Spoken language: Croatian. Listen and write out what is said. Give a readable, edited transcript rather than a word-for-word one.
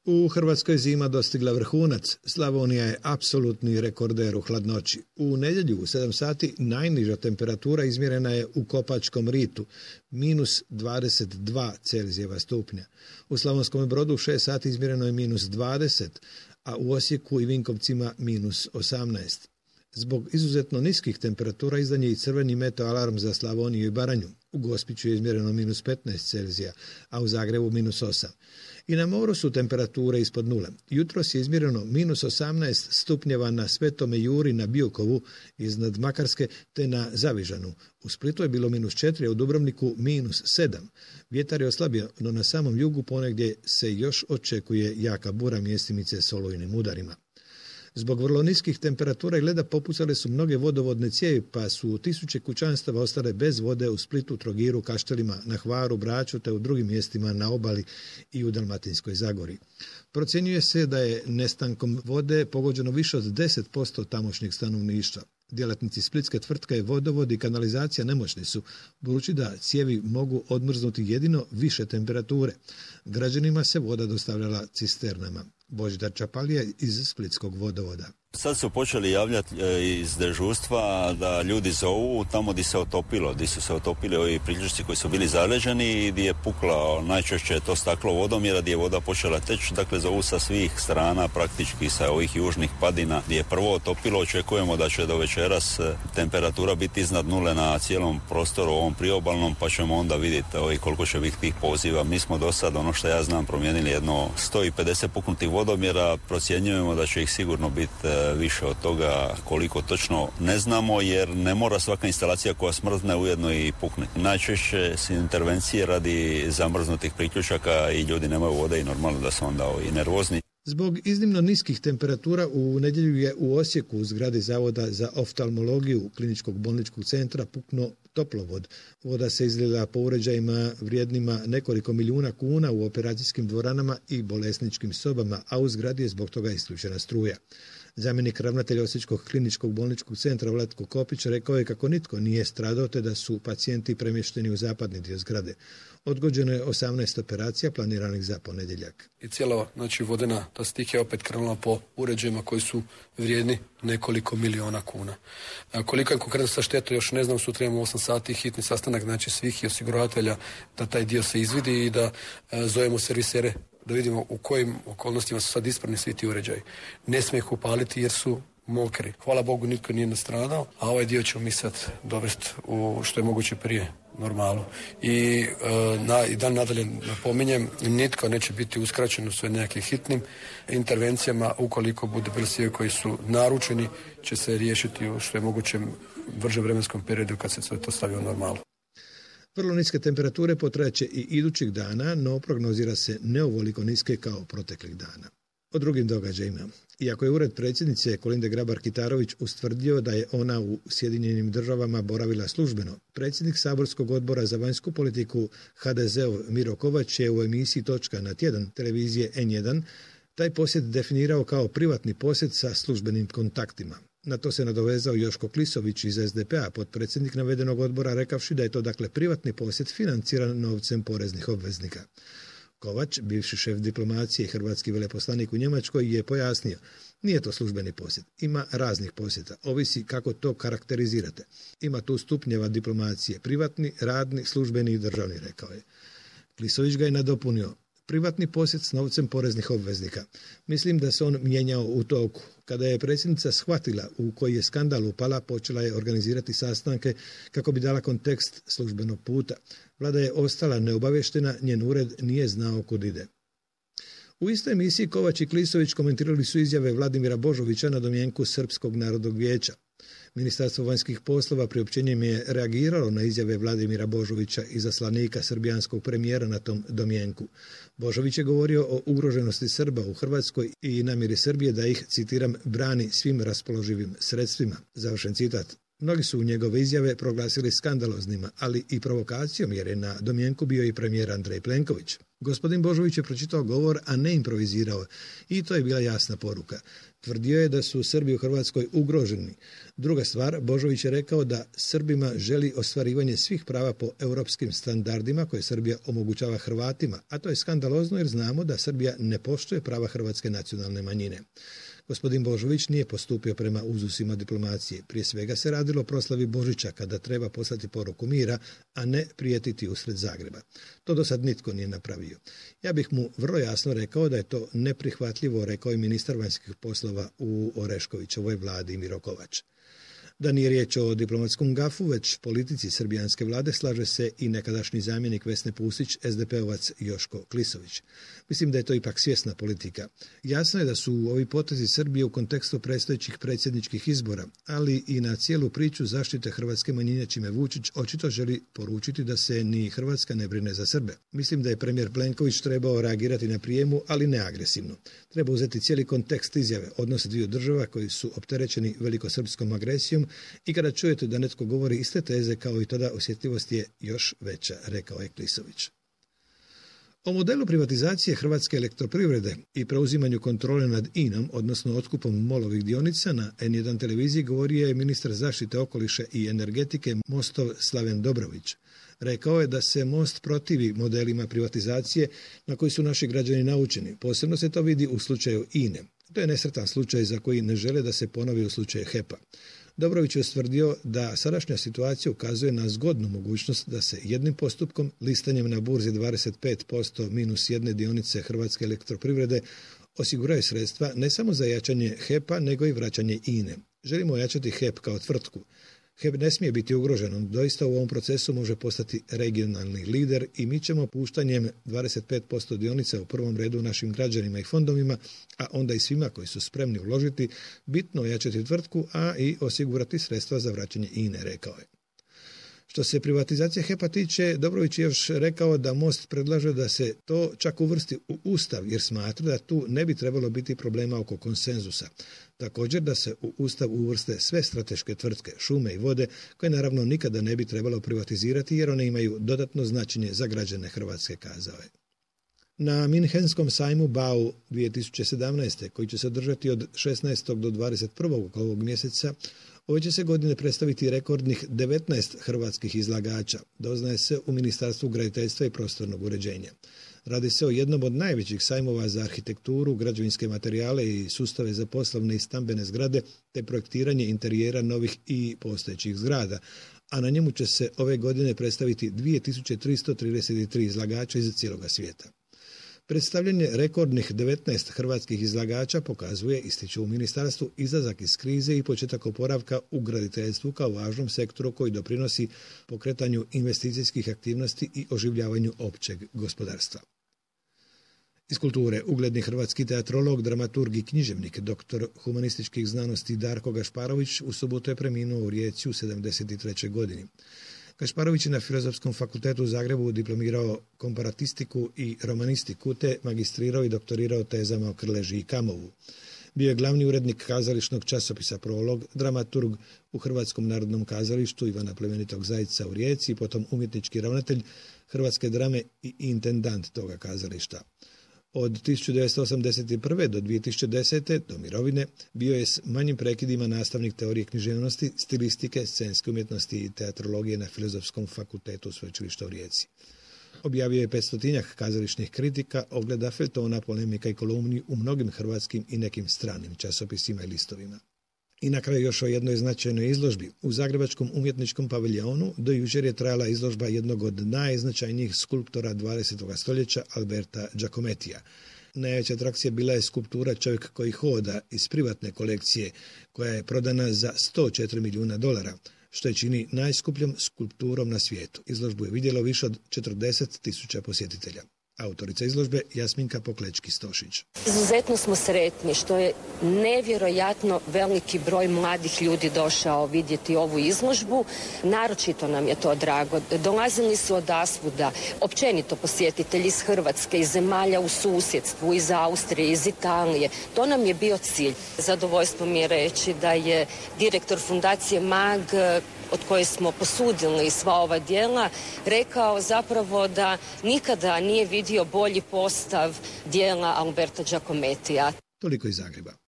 U Hrvatskoj zima dostigla vrhunac. Slavonija je apsolutni rekorder u hladnoći. U nedjelju u 7 sati najniža temperatura izmjerena je u Kopačkom ritu, minus 22 Celzijeva stupnja. U Slavonskom Brodu u 6 sati izmjereno je minus 20, a u Osijeku i Vinkovcima minus 18. Zbog izuzetno niskih temperatura izdan je i crveni meteo alarm za Slavoniju i Baranju. U Gospiću je izmjereno minus 15 Celzija, a u Zagrebu minus 8. I na moru su temperature ispod nule. Jutros je izmjereno minus 18 stupnjeva na Svetome Juri na Biokovu iznad Makarske te na Zavižanu. U Splitu je bilo minus 4, a u Dubrovniku minus 7. Vjetar je oslabio, no na samom jugu ponegdje se još očekuje jaka bura, mjestimice s olujnim udarima. Zbog vrlo niskih temperatura i leda popucale su mnoge vodovodne cijevi, pa su tisuće kućanstava ostale bez vode u Splitu, Trogiru, Kaštelima, na Hvaru, Braču te u drugim mjestima na obali i u Dalmatinskoj Zagori. Procjenjuje se da je nestankom vode pogođeno više od 10% tamošnjeg stanovništva. Djelatnici splitske tvrtke Vodovod i kanalizacija nemoćni su, budući da cijevi mogu odmrznuti jedino više temperature. Građanima se voda dostavljala cisternama. Božidar Čapalija iz Splitskog Vodovoda. Sad su počeli javljati iz dežurstva da ljudi zovu tamo gdje se otopilo, gdje su se otopili ovi priključci koji su bili zaleđeni i gdje je pukla najčešće to staklo vodomjera, gdje je voda počela teći, dakle zovu sa svih strana, praktički sa ovih južnih padina gdje je prvo otopilo. Očekujemo da će do večeras temperatura biti iznad nule na cijelom prostoru ovom priobalnom, pa ćemo onda vidjeti koliko će biti tih poziva. Mi smo do sad, ono što ja znam, promijenili jedno 150 puknutih vodomjera, procjenjujemo da će ih sigurno biti više od toga, koliko točno ne znamo, jer ne mora svaka instalacija koja smrzne ujedno i pukne. Najčešće su intervencije radi zamrznutih priključaka i ljudi nemaju vode i normalno da su onda i nervozni. Zbog iznimno niskih temperatura u nedjelju je u Osijeku u zgradi Zavoda za oftalmologiju Kliničkog bolničkog centra puknuo toplovod. Voda se izlila po uređajima vrijednima nekoliko milijuna kuna u operacijskim dvoranama i bolesničkim sobama, a u zgradi je zbog toga isključena struja. Zamjenik ravnatelja Osječkog kliničkog bolničkog centra Vlatko Kopić rekao je kako nitko nije stradao te da su pacijenti premješteni u zapadni dio zgrade. Odgođeno je 18 operacija planiranih za ponedjeljak. I cijela vodena ta stihija opet krenula po uređajima koji su vrijedni nekoliko miliona kuna. Koliko je konkretno sa štetu još ne znam, sutra imamo 8 sati hitni sastanak svih i osiguravatelja da taj dio se izvidi i da zovemo servisere da vidimo u kojim okolnostima su sad ispravni svi ti uređaji. Ne smije ih upaliti jer su mokri. Hvala Bogu nitko nije nastradao, a ovaj dio ćemo mi sad dovesti u što je moguće prije normalu. I nadalje napominjem, nitko neće biti uskraćen u sve nekakvim hitnim intervencijama. Ukoliko bude bili koji su naručeni, će se riješiti u što je moguće brže vremenskom periodu kad se sve to stavi u normalu. Vrlo niske temperature potrajaće i idućih dana, no prognozira se ne ovoliko niske kao proteklih dana. O drugim događajima. Iako je ured predsjednice Kolinde Grabar-Kitarović ustvrdio da je ona u Sjedinjenim Državama boravila službeno, predsjednik saborskog odbora za vanjsku politiku HDZ-ov Miro Kovač je u emisiji Točka na tjedan televizije N1 taj posjet definirao kao privatni posjet sa službenim kontaktima. Na to se nadovezao Joško Klisović iz SDP-a, potpredsjednik navedenog odbora, rekavši da je to dakle privatni posjet financiran novcem poreznih obveznika. Kovač, bivši šef diplomacije i hrvatski veleposlanik u Njemačkoj, je pojasnio: nije to službeni posjet, ima raznih posjeta, ovisi kako to karakterizirate. Ima tu stupnjeva diplomacije, privatni, radni, službeni i državni, rekao je. Klisović ga je nadopunio: privatni posjet s novcem poreznih obveznika. Mislim da se on mijenjao u toku. Kada je predsjednica shvatila u koji je skandal upala, počela je organizirati sastanke kako bi dala kontekst službenog puta. Vlada je ostala neobavještena, njen ured nije znao kud ide. U istoj emisiji Kovač i Klisović komentirali su izjave Vladimira Božovića na domjenku Srpskog narodnog vijeća. Ministarstvo vanjskih poslova priopćenjem je reagiralo na izjave Vladimira Božovića, izaslanika srbijanskog premijera na tom domjenku. Božović je govorio o ugroženosti Srba u Hrvatskoj i namjeri Srbije da ih, citiram, brani svim raspoloživim sredstvima. Završen citat. Mnogi su njegove izjave proglasili skandaloznima, ali i provokacijom, jer je na domjenku bio i premijer Andrej Plenković. Gospodin Božović je pročitao govor, a ne improvizirao, i to je bila jasna poruka. Tvrdio je da su Srbi u Hrvatskoj ugroženi. Druga stvar, Božović je rekao da Srbima želi ostvarivanje svih prava po europskim standardima koje Srbija omogućava Hrvatima, a to je skandalozno jer znamo da Srbija ne poštuje prava hrvatske nacionalne manjine. Gospodin Božović nije postupio prema uzusima diplomacije. Prije svega se radilo o proslavi Božića kada treba poslati poruku mira, a ne prijetiti usred Zagreba. To do sad nitko nije napravio. Ja bih mu vrlo jasno rekao da je to neprihvatljivo, rekao je ministar vanjskih poslova u Oreškovićevoj vladi Miro Kovač. Da nije riječ o diplomatskom gafu, već politici srbijanske vlade, slaže se i nekadašnji zamjenik Vesne Pusić, SDP-ovac Joško Klisović. Mislim da je to ipak svjesna politika. Jasno je da su ovi potezi Srbije u kontekstu predstojećih predsjedničkih izbora, ali i na cijelu priču zaštite hrvatske manjine, čime Vučić očito želi poručiti da se ni Hrvatska ne brine za Srbe. Mislim da je premijer Plenković trebao reagirati na prijemu, ali ne agresivno. Treba uzeti cijeli kontekst izjave, odnose dviju država koji su opterećeni velikosrpskom agresijom, i kada čujete da netko govori iste teze kao i tada, osjetljivost je još veća, rekao je Klisović. O modelu privatizacije Hrvatske elektroprivrede i preuzimanju kontrole nad INA-om, odnosno otkupom MOL-ovih dionica, na N1 televiziji govorio je ministar zaštite okoliša i energetike Mostov Slaven Dobrović. Rekao je da se Most protivi modelima privatizacije na koji su naši građani naučeni. Posebno se to vidi u slučaju INA-e. To je nesretan slučaj za koji ne žele da se ponovi u slučaju HEP-a. Dobrović je ustvrdio da sadašnja situacija ukazuje na zgodnu mogućnost da se jednim postupkom, listanjem na burzi 25% minus jedne dionice Hrvatske elektroprivrede, osiguraju sredstva ne samo za jačanje HEP-a, nego i vraćanje INA-e. Želimo ojačati HEP kao tvrtku. HEP ne smije biti ugrožen, on doista u ovom procesu može postati regionalni lider i mi ćemo puštanjem 25% dionica u prvom redu našim građanima i fondovima, a onda i svima koji su spremni uložiti, bitno ojačati tvrtku, a i osigurati sredstva za vraćanje INA-e, rekao je. Što se privatizacije HEP-a tiče, Dobrović je još rekao da Most predlaže da se to čak uvrsti u Ustav, jer smatra da tu ne bi trebalo biti problema oko konsenzusa. Također da se u Ustav uvrste sve strateške tvrtke, šume i vode, koje naravno nikada ne bi trebalo privatizirati jer one imaju dodatno značenje za građane Hrvatske, kazao je. Na Minhenskom sajmu BAU 2017. koji će se održati od 16. do 21. ovog mjeseca, ove će se godine predstaviti rekordnih 19 hrvatskih izlagača, doznaje se u Ministarstvu graditeljstva i prostornog uređenja. Radi se o jednom od najvećih sajmova za arhitekturu, građevinske materijale i sustave za poslovne i stambene zgrade, te projektiranje interijera novih i postojećih zgrada, a na njemu će se ove godine predstaviti 2333 izlagača iz cijeloga svijeta. Predstavljanje rekordnih 19 hrvatskih izlagača pokazuje, ističu u ministarstvu, izlazak iz krize i početak oporavka u graditeljstvu kao važnom sektoru koji doprinosi pokretanju investicijskih aktivnosti i oživljavanju općeg gospodarstva. Iz kulture, ugledni hrvatski teatrolog, dramaturg i književnik, doktor humanističkih znanosti Darko Gašparović u subotu je preminuo u Rijeci u 73. godini. Gašparović je na Filozofskom fakultetu u Zagrebu diplomirao komparatistiku i romanistiku, te magistrirao i doktorirao tezama o Krleži i Kamovu. Bio je glavni urednik kazališnog časopisa Prolog, dramaturg u Hrvatskom narodnom kazalištu Ivana Plemenitog Zajca u Rijeci, potom umjetnički ravnatelj Hrvatske drame i intendant toga kazališta. Od 1981. do 2010. do mirovine bio je s manjim prekidima nastavnik teorije književnosti, stilistike, scenske umjetnosti i teatrologije na Filozofskom fakultetu Sveučilišta u Rijeci. Objavio je 500-tinjak kazališnih kritika, ogleda, feljtona, polemika i kolumni u mnogim hrvatskim i nekim stranim časopisima i listovima. I na kraju još o jednoj značajnoj izložbi. U Zagrebačkom umjetničkom paviljonu do jučer je trajala izložba jednog od najznačajnijih skulptora 20. stoljeća, Alberta Giacomettija. Najveća atrakcija bila je skulptura Čovjek koji hoda iz privatne kolekcije, koja je prodana za $104 milijuna, što je čini najskupljom skulpturom na svijetu. Izložbu je vidjelo više od 40.000 posjetitelja. Autorica izložbe Jasminka Poklečki-Stošić. Izuzetno smo sretni što je nevjerojatno veliki broj mladih ljudi došao vidjeti ovu izložbu. Naročito nam je to drago. Dolazili su odasvuda, općenito posjetitelji iz Hrvatske, iz zemalja u susjedstvu, iz Austrije, iz Italije. To nam je bio cilj. Zadovoljstvo mi je reći da je direktor Fundacije MAG, od koje smo posudili sva ova djela, rekao zapravo da nikada nije vidio bolji postav djela Alberta Giacomettija. Toliko iz Zagreba.